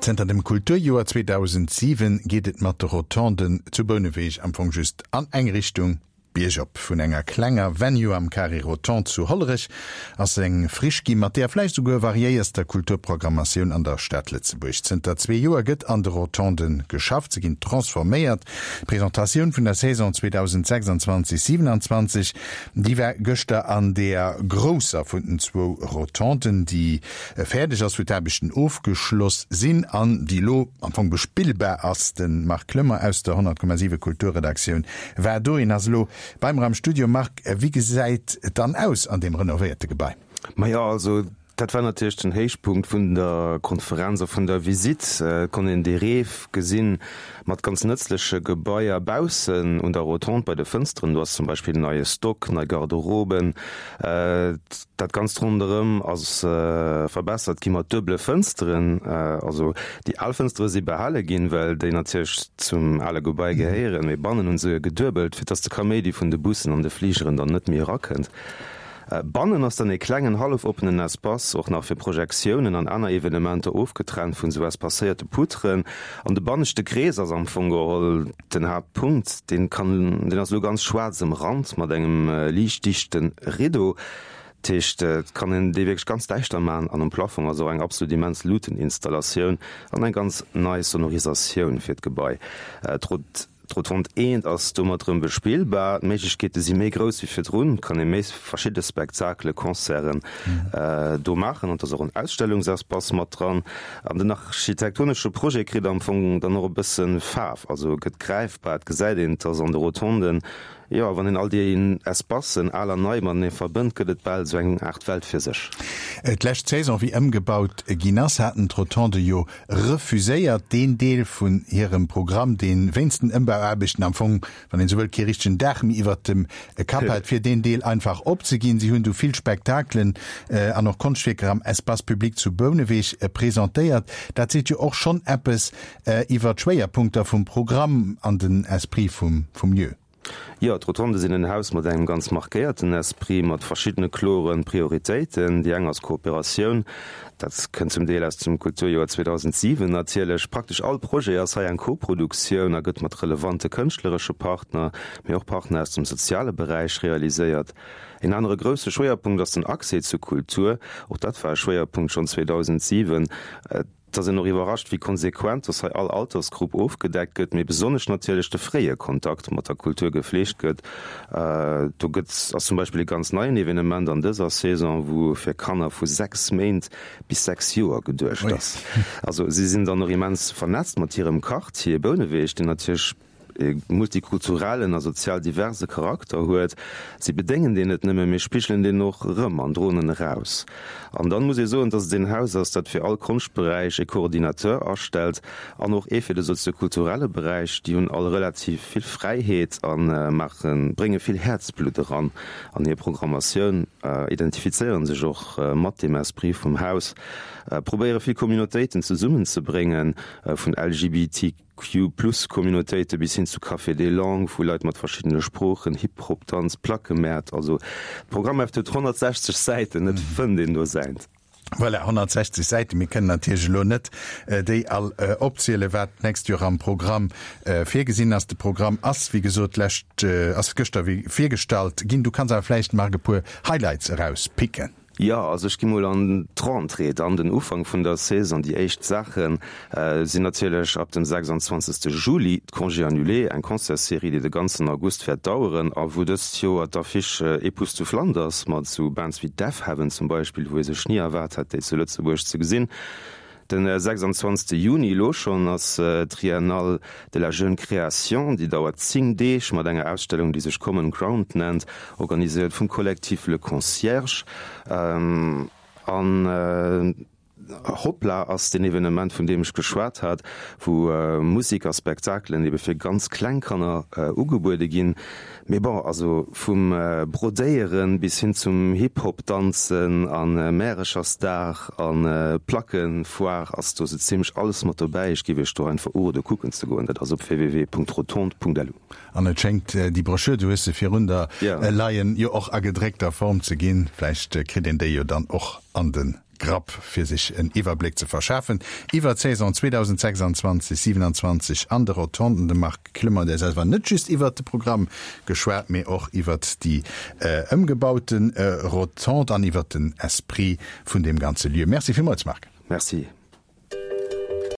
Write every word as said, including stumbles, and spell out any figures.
Zënter dem Kulturjoer zweedausendsiwen geet et mat de Rotonden zu Bouneweg am Fong just an eng Richtung, biergop. Vun enger klenger Venue am Carré Rotonde zu Hollerech ass eng Friche gi mat der vläicht souguer variéierster Kulturprogrammatioun an der Stad Lëtzebuerg. Zënter zwee Joer gëtt an de Rotonden geschafft, se ginn transforméiert. D'Presentatioun vun der Saison zweedausendsechsanzwanzeg siewenanzwanzeg, déi war gëschter an der grousser vun den zwou Rotonden, déi fäerdeg ass, wou d'Aarbechten ofgeschloss sinn an déi elo am Fong bespillbar ass. De Marc Clement aus der honnert Komma siwe Kulturredaktioun war do. Hien ass elo bei mer am Studio. Marc, wéi gesäit et dann aus an deem renovéierte Gebai? Majo, also dat war natierlech den Héichpunkt vun der Konferenz a vun der Visitt. Et konnt een dee Rêve gesinn mat ganz nëtzleche Gebaier baussen un der Rotonde bei de Fënsteren. Do ass zum Beispill en neie Stock, nei Garderoben. Dat Ganzt ronderëm ass verbessert gi mat duebele Fënsteren. Also déi al Fënstere si behale ginn, well déi natierlech zum ale Gebai gehéieren, mee bannen hu se geduebelt, fir dass de Kaméidi vun de Bussen an de Fligeren dann net méi erakënnt. Bannen ass dann e klengen hallef-oppenen Espace, och nach fir Projektiounen an aner Evenementer ofgetrennt vun sou espacéierte Poutren. An de banneschte Krees ass am Fong geholl den Haaptpunkt. Deen kann, deen ass elo ganz schwaarz ëmrannt mat engem liicht dichte Rideau. Dat heescht, et kann een dee wierklech ganz däischter maachen an um Plafong ass och eng absolut immens Luuteninstallatioun an eng ganz nei Sonorisatioun fir d'Gebai. D'Rotonde eent ass domat rëm bespillbar, d'Méiglechkeete si méi grouss wéi virdrun, et kann ee méi verschidde Spektakele, Concerten do maachen an et ass och en Ausstellungsespace mat dran. An den architektonesche Projet kritt am Fong dann och e bësse Faarf, also gëtt gräifbar, et gesäit een, dass an de Rotonden, jo, wann een all déi Espacen, al an nei, matenee verbënnt, gëtt et bal esou eng Aart Welt fir sech. D'lescht Saison, wéi ëmgebaut ginn ass, haten d'Rotonde jo refuséiert, deen Deel vun hirem Programm, dee wéinst den Ëmbauaarbechten am Fong, wann een esou wëllt, kee richtegen Daach méi iwwert dem Kapp hat, fir deen Deel einfach opzeginn. Si hunn du vill Spektakelen an och Konschtwierker am Espace public zu Bouneweg presentéiert. Dat seet jo och schonn eppes iwwert d'Schwéierpunkter vum Programm an den Esprit vum Lieu. Jo, d'Rotonde sinn en Haus mat engem ganz markéierten Esprit, mat verschiddene klore Prioritéiten. Déi eng ass Kooperatioun. Dat kënnt zum Deel aus dem Kulturjoer zweedausentsiwen natierlech. Praktesch all Projet ass hei eng Koproduktioun a gëtt mat relevante kënschtleresche Partner, mee och Partner aus dem soziale Beräich realiséiert. En anere grousse Schwéierpunkt ass den Accès zu Kultur. Och dat war e Schwéierpunkt schonn zweedausentsiwen. Et ass een och iwwerrascht, wéi konsequent dass hei all Altersgrupp ofgedeckt gëtt, mee besonnesch natierlech de fréie Kontakt mat der Kultur gefleegt gëtt. Do gëtt ass zum Beispill e ganz neien Evenement an dëser Saison, wou fir Kanner vu sechs Méint bis sechs Joer geduecht ass. Also si sinn dann och immens vernetzt mat hirem Quartier Bouneweg, deen natierlech e multikulturellen a sozial diverse Charakter huet. Si bedéngen deen net nëmme, mee spigelen deen och erëm an droen en eraus. An dann muss ee soen, dass et een Haus ass, dat fir all Konschtberäich e Coordinateur astellt an och ee fir de soziokulturelle Beräich. Déi hunn all relativ vill Fräiheet a maachen, brénge vill Häerzblutt eran an hir Programmatioun, identifizéiere sech och mat deem Esprit vum Haus, probéiere vill Communautéiten zesummenzebréngen, vun L G B T Q-Plus-Communautéite bis hin zu Café des Langues, vu Leit mat verschiddene Sproochen, Hip-Hop, Danz, Plackemäert. Also d'Programmheft huet honnertsechzeg Säiten, et fënnt een do säint. Voilà, honnertsechzeg Säiten. Mir kënnen natierlech elo net déi all opzielen, wat d'nächst Joer am Programm virgesinn ass. De Programm ass, wéi gesot, d'lescht, ass gëschter virgestallt ginn. Du kanns awer vläicht, Marc, e puer Highlights erauspicken. Jo, also ech gi mol an d'Rentrée dann, den Ufank vun der Saison. Déi éischt Saache sinn natierlech ab dem sechsandzwanzegste Juli d'Congés annulés, eng Concertsserie, déi de ganzen August wäert daueren a wou dëst Joer d'Affiche époustouflant ass, mat esou Bands wéi Deafheaven zum Beispill, wou ee sech ni erwaart hätt, déi zu Lëtzebuerg ze gesinn. Den sechsandzwanzegste Juni, elo schonn, ass d'Triennale de la jeune création. Déi dauert zéng Deeg mat enger Ausstellung, déi sech Common Ground nennt, organiséiert vum Kollektiv Le Concierge. An Hoppla ass deen Evenement, vun deem ech geschwat hat, wou Musek a Spektakelen ebe fir ganz kleng Kanner ugebuede ginn. Mee bon, also vum Brodéieren bis hin zum Hip-Hop danzen a Märechersdag a Plackefoire ass do sou zimlech alles mat dobäi. Ech géif iech do einfach urode kucken ze goen. Dat ass op w w w punkt rotonde punkt l u. An et schéngt déi Broschür, du hues se virun der leien, jo och a gedréckter Form ze ginn. Vläicht kritt een déi jo dann och an de Grapp fir sech en Iwwerbléck ze verschafen iwwer d'Saison zweedausendsechsanzwanzeg siewenanzwanzeg an de Rotonden. De Marc Clement huet selwer net just iwwert de Programm geschwat, mee och iwwert déi ëmgebaute Rotonde an iwwert den Esprit vun deem ganze Lieu. Merci villmools, Marc. Merci.